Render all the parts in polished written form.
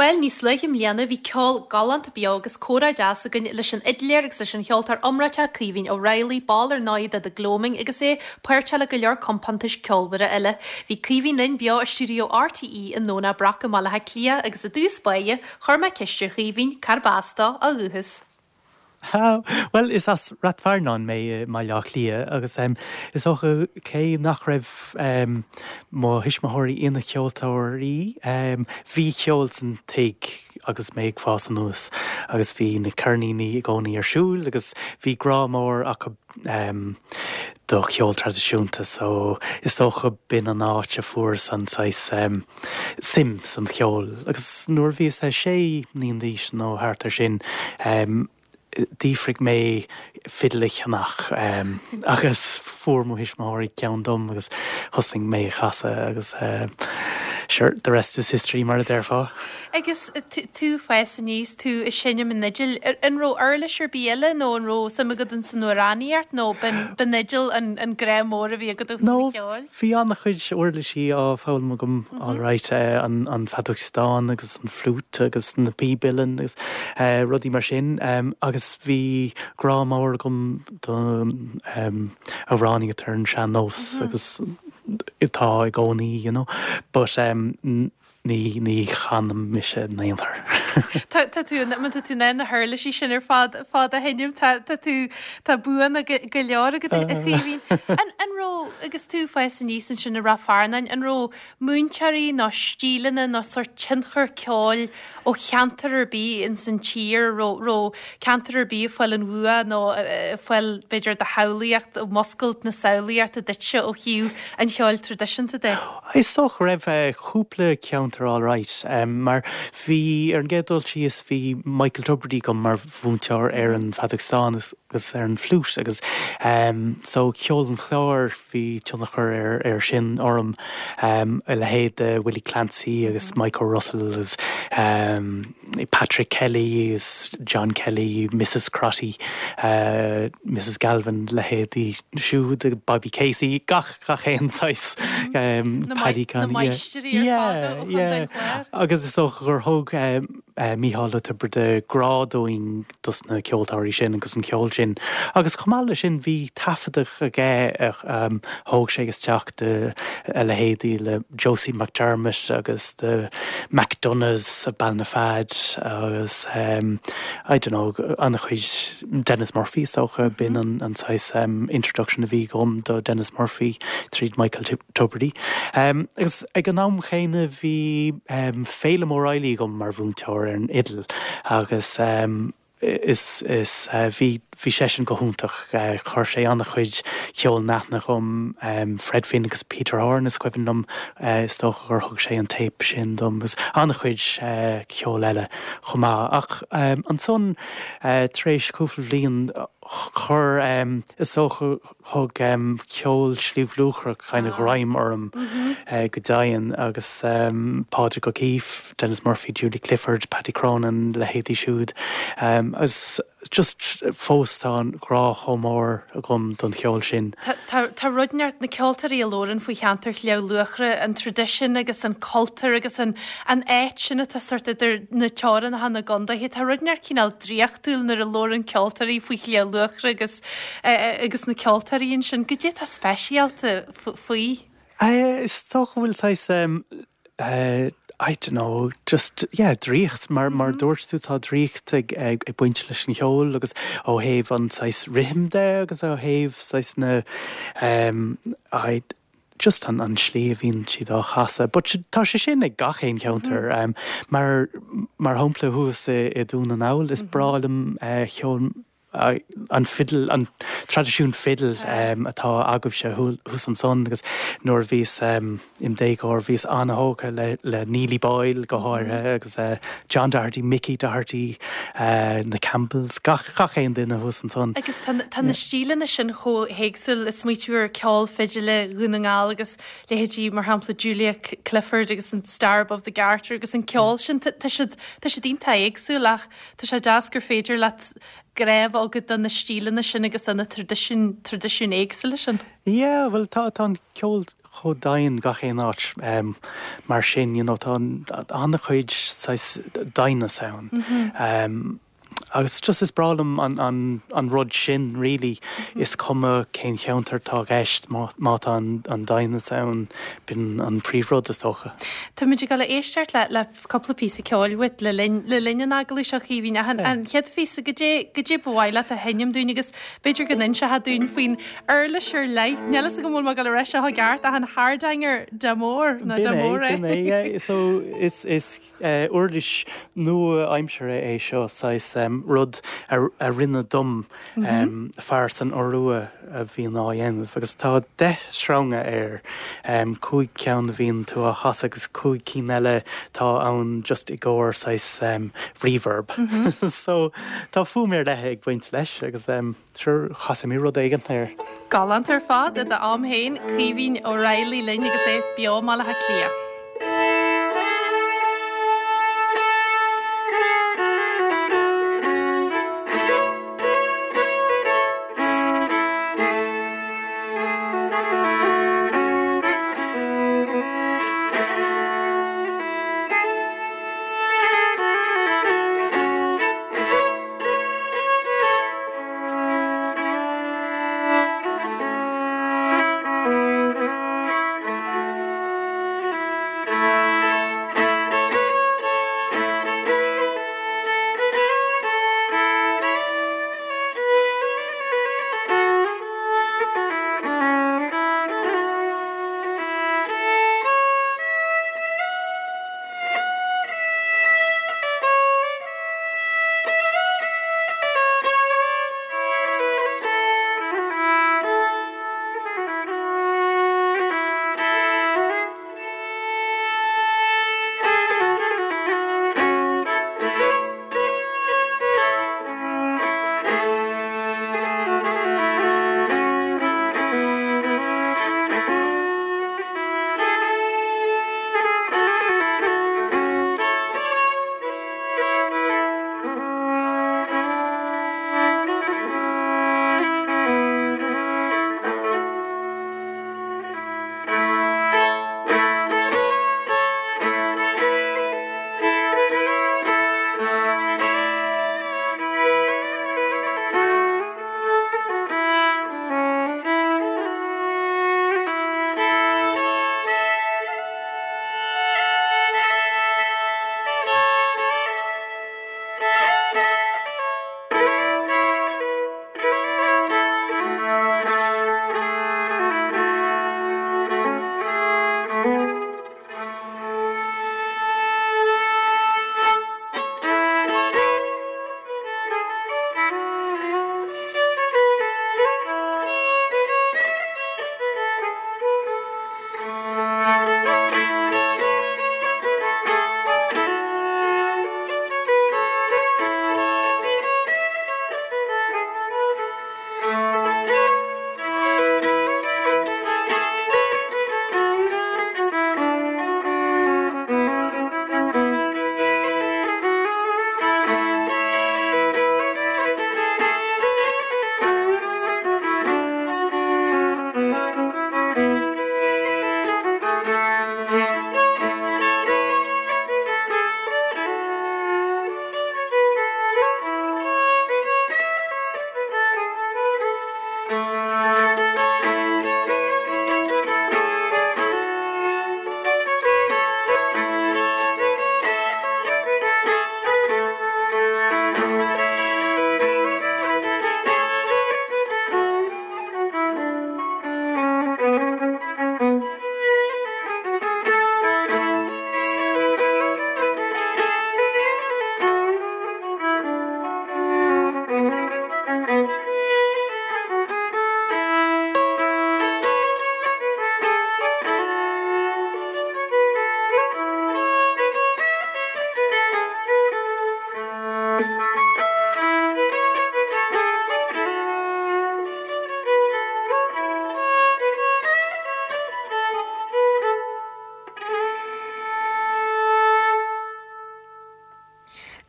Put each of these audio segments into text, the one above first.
Bhuel, níos luaithe i mbliana bhí ceol galánta beo agus comhrá deas againn leis an fhidléir agus leis an cheoltóir iomráiteach Caoimhín Ó Raghallaigh, ball ar ndóigh de The Gloaming agus é páirteach le go leor compántais ceolmhara eile. Bhí Caoimhín linn beo i stiúideo RTÉ i nDomhnach Broc i mBaile Átha Cliath agus i dtús báire chuir mé ceist ar Chaoimhín cárb as dó ó dhúchas. Bhuel, is as Rath Fearnáin mé i mBaile Átha Cliath agus is dócha cé nach raibh mo thuismitheoirí ina cheoltóirí, bhí ceol san tigh agus mé ag fás anuas agus bhí na ceirníní i gcónaí ar siúl agus bhí grá mór acu do cheol traidisiúnta so is dócha b'in an áit a fuaireas an saghas suim san cheol agus nuair a bhíos sé mbliana d'aois nó thart ar sin d'fhiafraigh mé fidil a cheannach agus fuair mo thuismitheoirí ceann dom agus thosaigh mé a chasadh agus sure the rest is history mar a déarfá. Agus tú ag fás aníos, tú ag seinm an fhidil, an raibh uirlis ar bith eile nó an raibh suim agat ins an amhránaíocht nó b'in fhidil an grá mór a bhí agat ó thaobh an cheoil? Bhí an-chuid uirlisí á foghlaim agam alright, an feadóg stáin agus an fliúit agus na píb uilleann agus rudaí mar sin agus bhí grá mór agam don amhránaíocht ar an sean-nós agus atá i gcónaí you know but Ní, ní chanaim mise in aon chor. Tá, tá tú, má tá tú in ann na huirlisí sin ar fad, fad a sheinm, tá, tá tú, tá buanna go, go leor agat a Chaoimhín. An, an raibh, agus tú ag fás aníos ansin i Rath Fearnáin, an raibh múinteoirí nó stíleanna nó sórt tionchar ceoil ó cheantar ar bith ins an tír, raibh, raibh ceantar ar bith ag fáil an bhua nó ag fáil, b'fhéidir, do shamhlaíocht, ag muscailt na samhlaíochta duitse ó thaobh an cheoil traidisiúnta de? Is dócha go raibh cúpla ceantar alright mar bhí, ar an gcéad dul síos, bhí Michael Tubridy agam mar mhúinteoir ar an bhfeadóg stáin agus ar an bhfliúit agus so ceol an Chláir, bhí tionchar ar ar sin orm, a leithéid de Willie Clancy agus Michael Russell agus Patrick Kelly agus John Kelly, Mrs Crotty, Mrs Galvin, leithéidí siúd, Bobby Casey, gach gach aon saghas Paddy Conn. Na máistrí ar fad ó Chontae an Chláir. Agus is dócha gur thug Mícheál Ó Tiobraide grá dúinn dos na ceoltóirí sin agus an ceol sin. Agus chomh maith leis sin bhí taifeadadh aige a thóg sé isteach de a leithéidí le Josie McDermott agus the McDonaghs of Ballinafad agus I don't know an-chuid Denis Murphy is dócha, b'in an saghas introduction a bhí agam do Denis Murphy tríd Michael Tubridy. Agus ag an am chéanna bhí Féilim O'Reilly agam mar mhúinteoir ar an fhidil agus is is bhí bhí seisean go hiontach. Chuir sé an-chuid ceoil in aithne dhom, Fred Finn agus Peter Horan is cuimhin liom, is dócha gur thug sé an téip sin dom agus an-chuid ceoil eile chomh maith. Ach ansan Tar éis cúpla bliain, chuir, is dócha, thug ceol Shliabh Luachra kind of greim orm go deimhin agus Pádraig O'Keeffe, Denis Murphy, Julie Clifford, Paddy Cronin, leithéidí siúd. Agus just fós tá an grá chomh mór agam don cheol sin. Tá rud inteacht, na ceoltóirí a labhrann faoi cheantar Shliabh Luachra, an traidisiún agus an cultúr agus an áit sin atá sórt idir na teorainneacha na gcondaetha, tá rud inteacht cineál draíochtúil nuair a labhrann ceoltóirí faoi Shliabh Luachra agus agus na ceoltóirí ansin. Goidé atá speisialta faoi? Is dócha go bhfuil saghas I don't know, just, yeah, draíocht, mar, mar dúirt tú, tá draíocht ag, ag, ag baint leis an cheol agus ó thaobh an saghas rithim de agus ó thaobh saghas na, um, I, just an, an slí a bhíonn siad á chasadh. But tá sé sin ag gach aon cheantar, um, mar, mar shampla thuas i, i Dún na nGall, is breá liom eh, ceol an fidil, an traidisiún fidil atá agaibhse thuas ansan agus nuair a bhíos im déagóir bhíos an-thógtha le Neilly Boyle go háirithe agus John Doherty, Mickey Doherty, na Campbells, gach gach aon duine thuas ansan. Agus tá tá na stíleanna sin chomh héagsúil, ag smaoitiú ar ceol fidile Dhún na nGall agus leithéidí mar shampla Julia Clifford agus an Star Above the Garter agus an ceol sin, tá siad tá siad iontach éagsúil ach Tá sé deas gur féidir leat grá a bheith agat do na stíleanna sin agus do na traidisiúin, traidisiúin éagsúla sin. Yeah, bhuel tá, tá an ceol chomh domhain gach aon áit mar sin, you know, tá an-chuid saghas doimhneas ann. Agus just is breá liom an an rud sin really. Is cuma cén cheantar atá i gceist, má tá an doimhneas ann, b'in an príomhrud is dócha. Táimid ag dul a éisteacht le le cúpla píosa ceoil uait le linn le linn an agallaimh seo, a Chaoimhín. Ach an an chéad phíosa, goidé goidé ba mhaith leat a sheinm dúinn agus b'fhéidir go n-inseofá dúinn faoin uirlis ar leith. Níl fhios agam an bhfuil mé ag dul a rá seo i gceart ach an Hardanger d'amore nó d'amore. B'in é, b'in é, yeah. So is is Uirlis nua-aimseartha é seo, saghas rud a rinneadh dom, fear san Iorua a bhíonn á dhéanamh agus tá 10 sreanga air, 5 ceann a bhíonn tú á chasadh agus 5 cinn eile atá ann just i gcomhair saghas reverb. So tá fuaim ar leith ag baint leis agus. Sure, casfaidh mé rud éigin air. Galánta ar fad i d'am féin, Caoimhín Ó Raghallaigh linn agus é beo i mBaile Átha Cliath.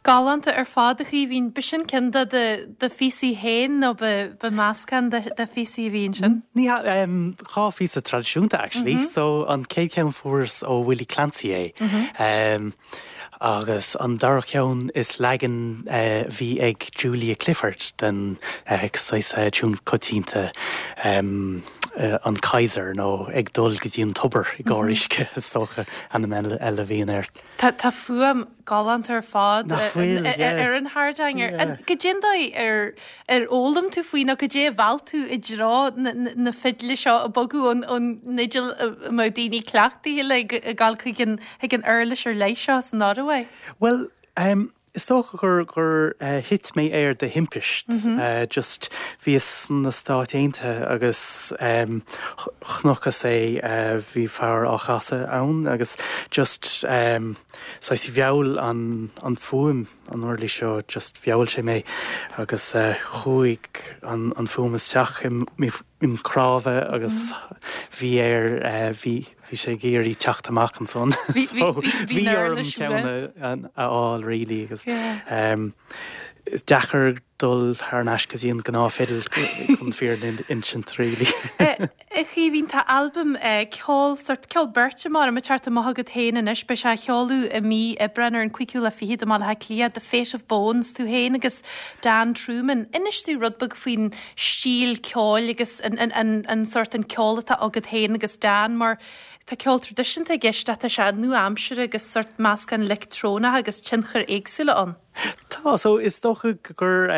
Galánta ar fad, a Chaoimhín. B'shin ceann de do phíosaí féin nó ba meascán de phíosaí a bhí ansin? Ní hea, 2 phíosa traidisiúnta actually. So an chéad cheann fuaireas ó Willie Clancy é. Agus an dara ceann is leagan a bhí ag Julia Clifford den saghas tiún coitianta an Kaiser nó ag dul go dtí an tobar i gcomhair uisce is dócha ainm eile a bhíonn air. Tá fuaim galánta ar fad Nach bhfuil, yeah. ar an hardanger. Yeah. Goidé an dóigh ar ar fhoghlaim tú faoi nó goidé a mheall tú i dtreo na fidle seo ag bogadh ón fhidil a mbeadh daoine cleachtaithe léi ag gabháil chuig an chuig an uirlis ar leith seo san Iorua? Bhuel, is dócha gur gur thit mé air de thimpist. Just bhíos sna Stáit Aontaithe agus chonacthas é, bhí fear á chasadh ann agus just saghas mheall an an fuaim an uirlis seo just mheall sé mé agus chuaigh an an fuaim isteach im im chnámha agus bhí air bhí bhí sé ag iarraidh teacht amach ansan so bhí orm ceann a fháil really agus is deacair dul thar n-ais go dtí an gnáth-fhidil chun fírinne a insint really. A Chaoimhín, tá albam ceoil, sórt ceol beirte mar ag teacht amach agat féin anois, beidh sé á sheoladh i mí Aibreáin ar an cúigiú lá fichead i mBaile Átha Cliath, The Fate of Bones, tú féin agus Dan Trueman. Inis dúinn rud beag faoin stíl ceoil agus an sórt an ceol atá agat féin agus Dan mar tá ceol traidisiúnta i gceist ach tá sé nua-aimseartha agus sórt meascán leictreonach agus tionchair éagsúla ann. Tá, so is dócha gur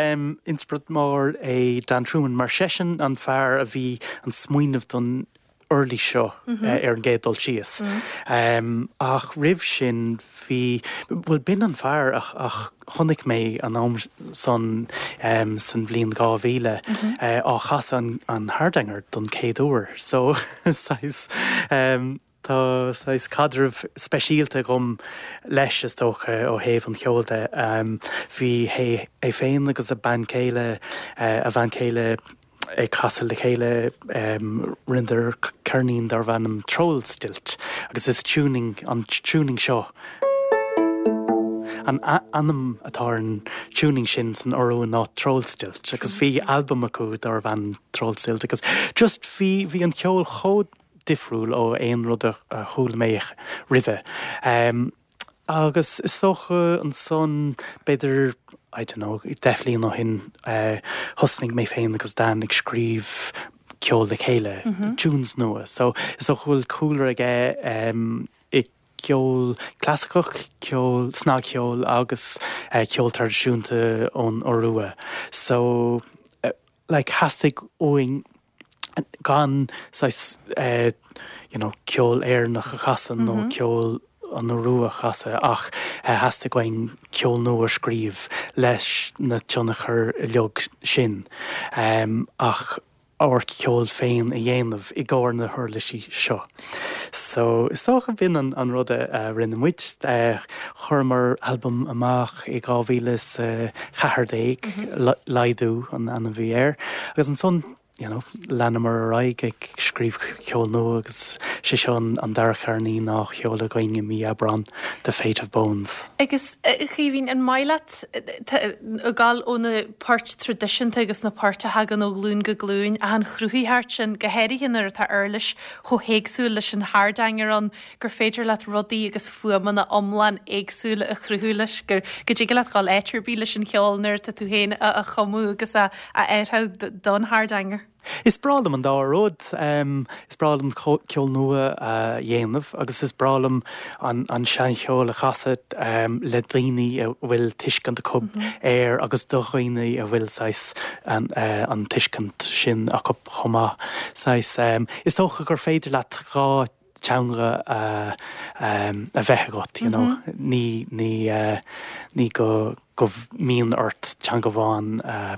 inspioráid mór é Dan Trueman mar seisean an fear a bhí an smaoineamh don uirlis seo ar an gcéad dul síos. Ach roimh sin bhí, bhuel b'in an fear a chonaic mé an am san san bhliain 2000 á chasadh an hardanger don chéad uair. So saghas tá saghas caidreamh speisialta agam leis is dócha ó thaobh an cheoil de. Bhí é féin agus a bean chéile, a bhean chéile, ag casadh le chéile, rinneadar ceirnín darbh ainm Trollstilt agus is tuning, an tuning seo, an ainm atá ar an tuning sin san Iorua ná Trollstilt agus bhí albam acu darbh ainm Trollstilt agus just bhí, bhí an ceol chomh difriúil ó aon rud a chuala mé roimhe. Agus is dócha ansan, b'fhéidir, I don't know, 10 bhliain ó shin, thosnaigh mé féin agus Dan ag scríobh ceol le chéile, tunes nua. So is dócha go bhfuil cúlra aige i gceol clasaiceach, ceol, snagcheol agus ceol traidisiúnta ón Iorua. So like theastaigh uainn gan saghas you know ceol Éireannach a chasadh nó ceol an Iorua a chasadh ach theastaigh uainn ceol nua a scríobh leis na tionchair uilig sin ach ár gceol féin a dhéanamh i gcomhair na huirlisí seo. So is dócha b'in an rud a rinne muid. Chuireamar albam amach i 2014, Laghdú an ainm a bhí air, agus ansan you know, leanamar ar aghaidh ag scríobh ceol nua agus sé seo an dara ceirnín á sheoladh againn i mí Aibreán, The Fate of Bones. Agus, a Chaoimhín, an maith leat ag gabháil ó na poirt traidisiúnta agus na poirt a thagann ó ghlúin go glúin, ach an chruthaitheacht sin, go háirithe nuair atá uirlis chomh héagsúil leis an hardanger ann, gur féidir leat rudaí agus fuaimeanna iomlán éagsúla a chruthú leis, go dtig leat dhul áit ar bith leis an cheol nuair atá tú féin á chumadh agus á fhearthadh don hardanger. Is breá liom an dá rud. Is breá liom ceol nua a dhéanamh agus is breá liom an seancheol a chasadh le daoine a bhfuil tuiscint acu air agus do dhaoine a bhfuil saghas an tuiscint sin acu chomh maith. Saghas, is dócha gur féidir leat 2 teanga a bheith agat, you know. Ní, ní, ní go, go mbíonn ort teanga amháin a,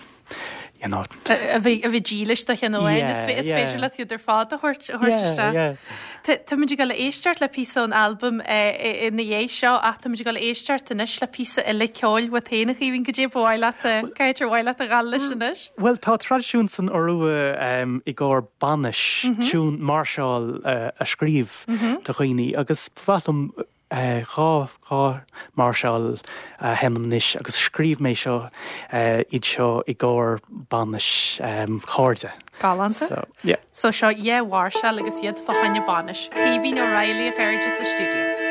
you know. A bheith, a bheith dílis do cheann amháin. Is yeah, yeah. féidir leat iad ar fad a thabhairt, a thabhairt isteach. Yeah, yeah. Táimid ag dul a éisteacht le píosa ón albam ina dhiaidh seo ach táimid ag dul a éisteacht anois le píosa eile ceoil uait féin a Chaoimhín, goidé ba mhaith leat, cá háit ar mhaith leat a ghabháil leis anois? Bhuel, tá traidisiún san Iorua i gcomhair bainis, tiún máirseáil a scríobh do dhaoine agus ba mhaith liom. 2 mháirseáil a sheinnim anois agus scríobh mé seo, iad seo i gcomhair bainis cairde. Galánta. So, yeah. So seo dhá mháirseáil agus iad fá choinne bainis. Caoimhín Ó Raghallaigh a chairde sa stiúideo.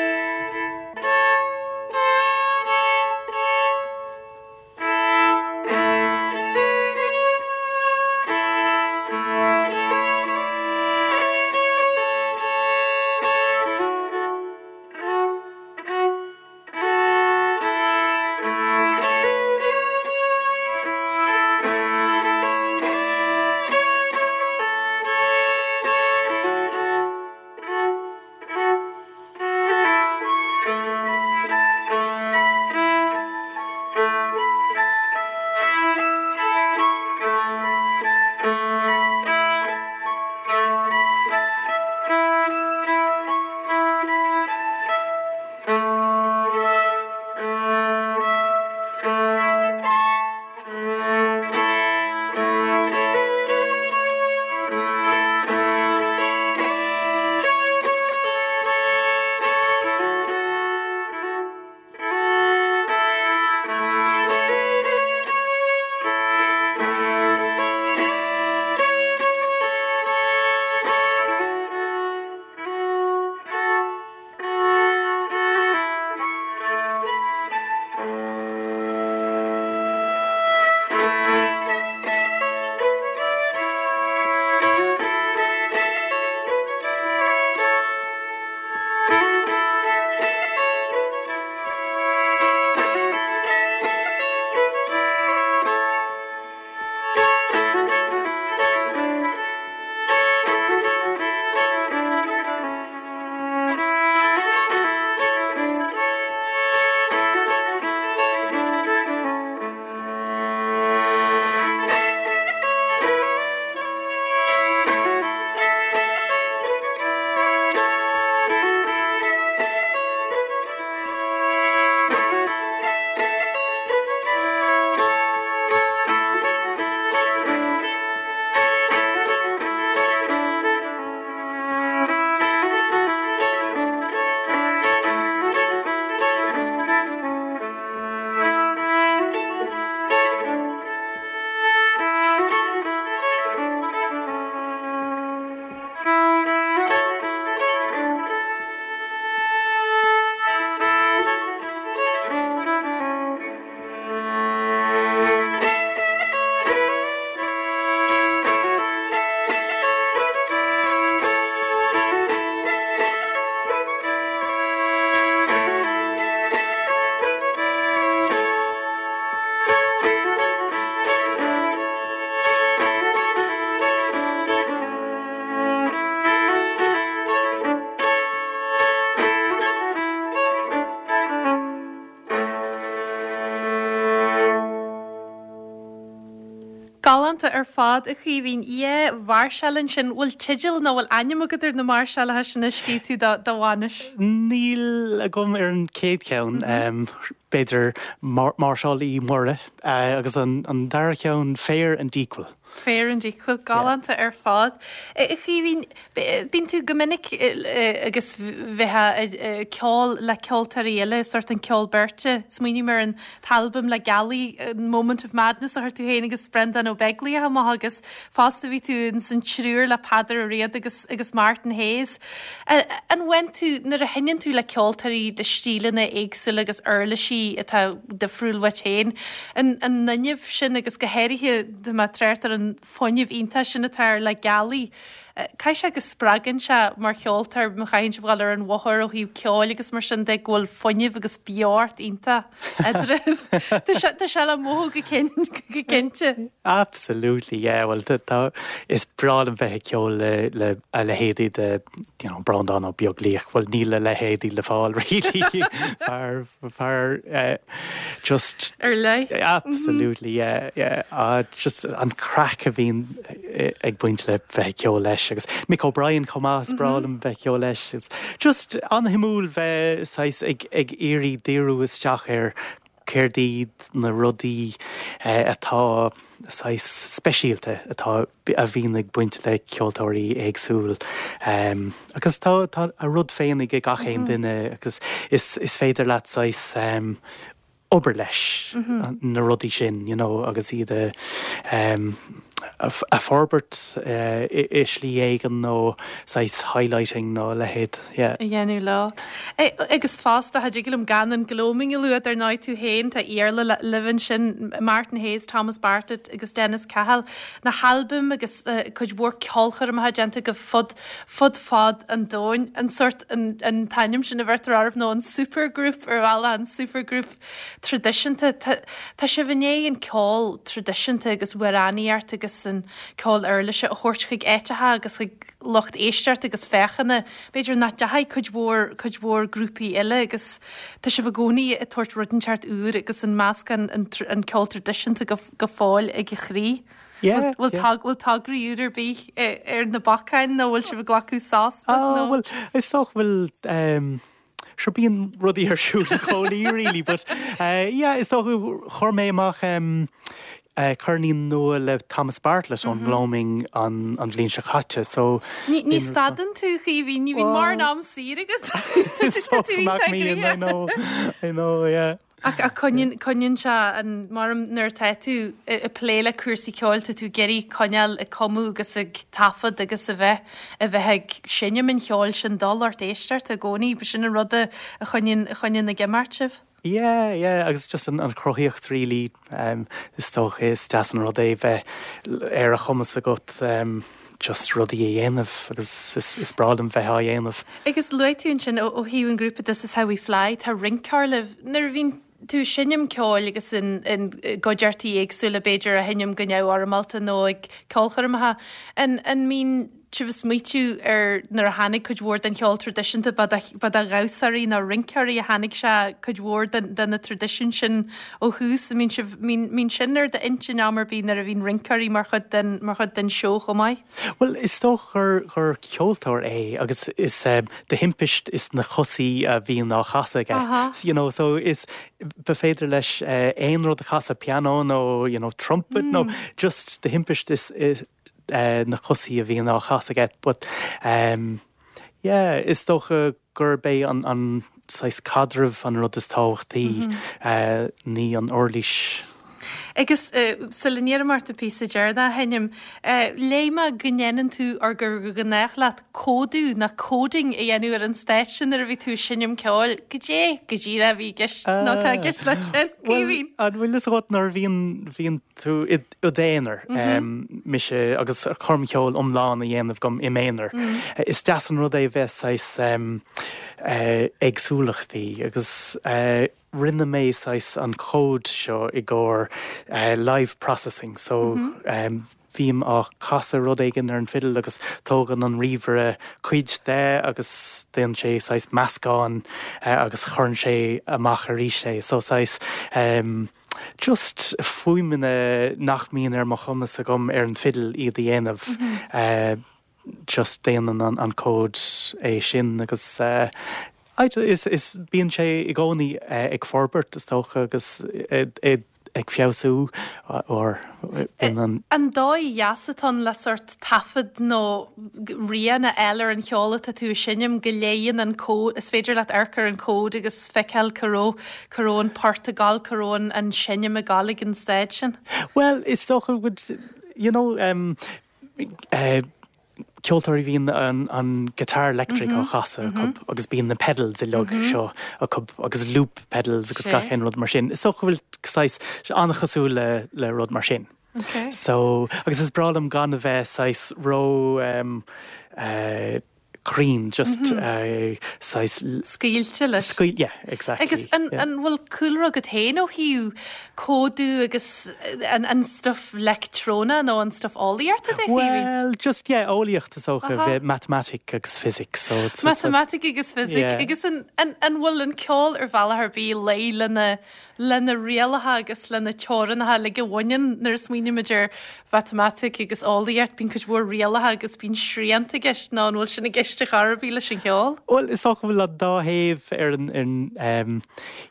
Galánta ar fad, a Chaoimhín. Dhá mháirseáil ansin. Bhfuil teideal nó bhfuil ainm agat ar na máirseálacha sin a scríobh tú do bhainis? Níl agam ar an chéad cheann. B'fhéidir Máirseáil Uí Mhuire agus an dara ceann Fair and Equal. Fair and Equal. Galánta ar fad. A Chaoimhín, bíonn tú go minic agus bheifeá ag ceol le ceoltóirí eile, sórt an ceol beirte. Smaoiním ar an t-albam Le Gealaí, Moment of Madness a chuir tú féin agus Breandán Ó Beaglaoich amach agus fosta bhí tú ins an triúr le Peadar Ó Riada agus agus Martin Hayes. An bhfaigheann tú, nuair a sheinneann tú le ceoltóirí le stíleanna éagsúla agus uirlisí atá difriúil uait féin, an an fhuinneamh sin agus go háirithe tá mé ag trácht ar an fuinneamh iontach sin atá ar Le Gealaí, Caithfidh sé go spreagann sé mar cheoltóir má chaitheann sibh dhul ar an bhóthar ó thaobh ceoil agus mar sin de go bhfuil fuinneamh agus beocht iontach eadraibh. Tá sé tá sé le mothú go go cinnte. Absolutely yeah bhuel tá is breá liom bheith ag ceol le le a leithéidí de you know Breandán Ó Beaglaoich bhuel níl a leithéidí le fáil really fear fear just Ar leith. Absolutely yeah yeah ah just an craic a bhíonn ag baint le bheith ag ceol leis agus Mick O'Brien chomh maith is breá liom bheith ag ceol leis it's just an-shuimiúil bheith saghas ag ag iarraidh díriú isteach ar. céard iad na rudaí atá saghas speisialta atá a bhíonn ag baint le ceoltóirí éagsúil. Agus tá tá a rud féin ag gach aon duine agus is is féidir leat saghas obair leis na rudaí sin you know agus iad a a forbairt i slí éigin nó saghas highlighting nó a leithéid, yeah. a dhéanamh leo. Agus fosta, cha dtig liom gan an Gloaming a lua, dar ndóigh tú féin, tá Iarla libh ansin, Martin Hayes, Thomas Bartlett agus Dennis Cahill, na halbaim agus cuid mhór ceolchoirmeacha déanta agaibh fud fud fad an domhain, an sórt, an an t-ainm sin a bheirtear oraibh nó an supergroup ar bhealach, an supergroup traidisiúnta. Tá tá sibh i ndiaidh an ceol traidisiúnta agus amhránaíocht agus an ceol uirlise a thabhairt chuig áiteacha agus chuig lucht éisteachta agus féachana, b'fhéidir nach dteachaigh cuid mhór, cuid mhór grúpaí eile agus tá sibh i gcónaí ag tabhairt rud inteacht úr agus an meascán, an an ceol traidisiúnta go go fóill ag a chroí. Yeah, Bhfuil yeah. bhfuil tograí úr ar bith ar na bacáin nó bhfuil sibh ag glacadh sos beag nó? Bhuel, is dócha go bhfuil um, sure bíonn rudaí ar siúl i gcónaí really, but uh, yeah, is dócha chuir mé amach um, uh, ceirnín nua le Thomas Bartlett ón nGloaming an, an bhliain seo caite, so Ní, ní stadann tú, a Chaoimhín, ní bhíonn mórán am saor agat. Tá tú iontach I know, I know, yeah. Ach coinníonn, coinníonn sé an, mar nuair atá tú ag plé le cúrsaí ceoil, tá tú ag iarraidh coinneáil ag cumadh agus ag taifead agus a bheith, a bheith ag seinm an cheoil sin do lucht éisteachta i gcónaí. B'shin an rud a choinníonn, a choinníonn ag imeacht sibh. Yeah, yeah, agus just an, an chruthaíocht really, is dócha, is deas an rud é bheith ar a chumas agat just rudaí a dhéanamh agus is, is breá liom bheith á dhéanamh. Agus luaigh tú ansin ó thaobh an ghrúpa This Is How We Fly, tá rinceoir libh. Nuair a bhíonn tú ag seinm ceoil agus in gcuideachtaí éagsúla b'fhéidir á sheinm go neamhfhoirmeálta nó ag ceolchoirmeacha, an an mbíonn sibh ag smaoitiú ar nuair a tháinig cuid mhór den cheol traidisiúnta ba ba de dhamhsóirí nó rinceoirí a tháinig sé cuid mhór de de na traidisiúin sin ó thús. An mbíonn sibh mbíonn sin ar d'intinn am ar bith nuair a bhíonn rinceoirí mar chuid den mar chuid den seó chomh maith? Bhuel, is dócha gur gur ceoltóir é agus is de thimpist is na cosaí a bhíonn á chasadh aige. You know, so is ba féidir leis aon rud a chasadh, pianó nó you know, trumpet nó just de thimpist is is na cosaí a bhíonn á chasadh aige. But um, yeah, is dócha gurb é an an saghas caidreamh an rud is tábhachtaí, ní an uirlis. Agus sula n-iarraim ort an píosa deireanach a sheinm, léigh mé go ndéanann tú, or gur ghnách leat, códú nó coding a dhéanamh ar an stáitse nuair a bhí tú ag seinm ceoil. Goidé go díreach a bhí i gceist nó atá i gceist leis sin, Caoimhín? Bhuel, an bhfuil fhios agat nuair a bhíonn, bhíonn tú i d'aonar, mise agus coirmcheoil iomlán a dhéanamh agam im aonar. Is deas an rud é bheith saghas éagsúlachtaí agus rinne mé saghas an cód seo i gcomhair live processing so bhím á casadh rud éigin ar an fidil agus tógann an ríomhaire cuid de agus déanann sé saghas meascán agus chuireann sé amach arís é so saghas Just fuaimeanna nach mbíonn ar mo chumas agam ar an bhfidil iad a dhéanamh. Just déanann an cód é sin agus is, is, bíonn sé i gcónaí ag forbairt is dócha agus ag feabhsú or bíonn an. An dóigh dheas atá ann le sórt taifead nó rian a fháil ar an cheol atá tú a sheinm, go léigheann an cód, is féidir leat amharc ar an cód agus feiceáil cá raibh Cá raibh an port ag gabháil, cá raibh an seinm ag gabháil ag an staid sin? Bhuel, is dócha go bhfuil, you know, um, eh, ceoltóirí bhíonn an, an guitar electric á chasadh acu agus bíonn na pedals uilig seo acu agus loop pedals agus gach aon rud mar sin. Is dócha go bhfuil saghas an-chosúil le, le rud mar sin. Okay. So, agus is breá liom gan a bheith saghas ró, um, eh, cruinn, just saghas. Scaoilte leis. Scaoil, yeah, exactly. Agus an an bhfuil cúlra agat féin ó thaobh códú agus an an stuff leictreonach nó an stuff eolaíochta de, Caoimhín? Well, just, yeah, eolaíocht is dócha, bheith matamaitic agus physics, so it's. Matamaitic agus physics, yeah. Agus an an an bhfuil an ceol ar bhealach ar bith léi lena lena rialacha agus lena teorainneacha uilig a bhaineann nuair a smaoinímid ar mhatamaitic agus eolaíocht, bíonn cuid mhór rialacha agus bíonn srianta i gceist nó an bhfuil sin i gceist? gceist ar chor ar bith leis an cheol? Bhuel, is dócha go bhfuil an dá thaobh ar an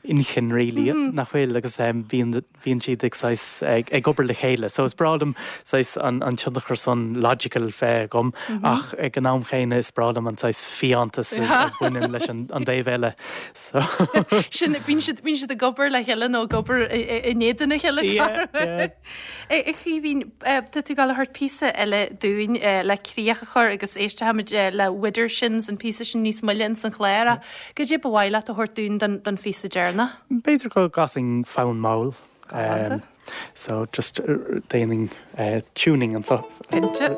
inchinn really, nach bhfuil, agus bíonn bíonn siad ag saghas ag obair le chéile. So is breá liom saghas an an tionchar san logical bheith agam ach ag an am chéanna is breá liom an saghas fiántas a bhaineann leis an an dtaobh eile. So. Sin, bíonn siad, bíonn siad ag obair le chéile nó ag obair in éadan a chéile. Yeah, yeah. A Chaoimhín, tá tú ag gabháil a thabhairt píosa eile dúinn le críoch a chur agus éistfimid le Widdershins, an píosa sin níos moille ins an chlár ach goidé ba mhaith leat a thabhairt dúinn don phíosa deireanach? B'fhéidir go gcasfainn fonn mall. Galánta. So just déanfainn tuning anso. Cinnte.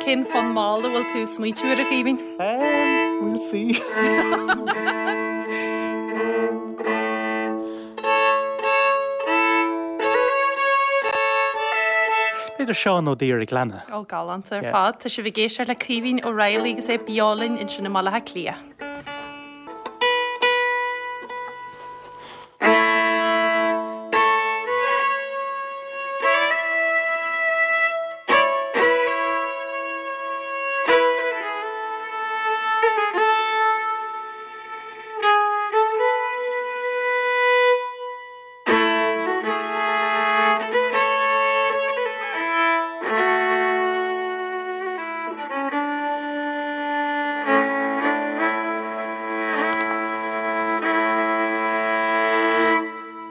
Cén fonn mall a bhfuil tú ag smaoitiú air a Chaoimhín? We'll see. B'fhéidir Seán Ó Duibhir ag Leanna. Ó, galánta ar fad. Tá sibh ag éisteacht le Caoimhín Ó Raghallaigh agus é beo linn ansin i mBaile Átha Cliath.